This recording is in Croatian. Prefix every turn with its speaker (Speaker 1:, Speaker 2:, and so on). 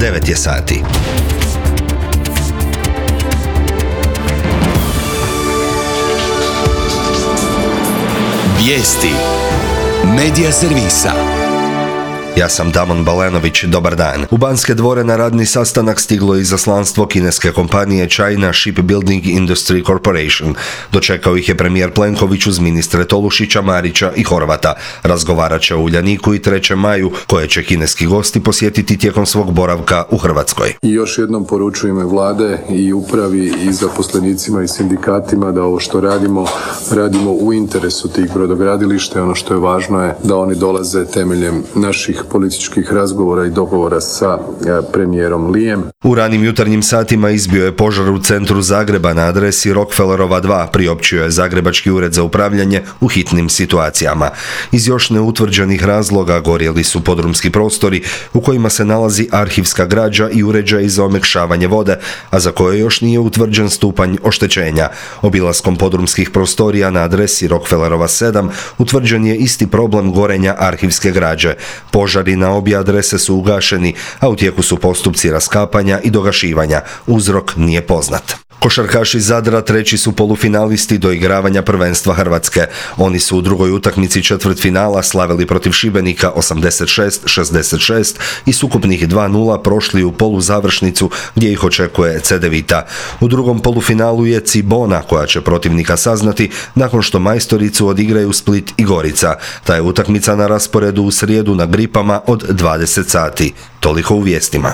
Speaker 1: 9 je sati.
Speaker 2: Vijesti Medija servisa.
Speaker 1: Ja sam Damon Balenović, dobar dan. U Banske dvore na radni sastanak stiglo je izaslanstvo kineske kompanije China Shipbuilding Industry Corporation. Dočekao ih je premijer Plenković uz ministre Tolušića, Marića i Horvata. Razgovarat će o Uljaniku i 3. maju, koje će kineski gosti posjetiti tijekom svog boravka u Hrvatskoj.
Speaker 3: I još jednom poručujem vlade i upravi i zaposlenicima i sindikatima da ovo što radimo u interesu tih brodogradilišta. Ono što je važno je da oni dolaze temeljem naših političkih razgovora i dogovora sa premijerom Lijem.
Speaker 1: U ranim jutarnjim satima izbio je požar u centru Zagreba na adresi Rockefellerova 2, priopćio je Zagrebački ured za upravljanje u hitnim situacijama. Iz još neutvrđenih razloga gorjeli su podrumski prostori u kojima se nalazi arhivska građa i uređaj za omekšavanje vode, a za koje još nije utvrđen stupanj oštećenja. Obilaskom podrumskih prostorija na adresi Rockefellerova 7 utvrđen je isti problem gorenja arhivske građe. Požari na obje adrese su ugašeni, a u tijeku su postupci raskapanja i dogašivanja. Uzrok nije poznat. Košarkaši Zadra 3. su polufinalisti doigravanja prvenstva Hrvatske. Oni su u drugoj utakmici četvrtfinala slavili protiv Šibenika 86-66 i s ukupnih 2:0 prošli u poluzavršnicu gdje ih očekuje Cedevita. U drugom polufinalu je Cibona koja će protivnika saznati nakon što majstoricu odigraju Split i Gorica. Ta je utakmica na rasporedu u srijedu na Gripama od 20 sati. Toliko u vijestima.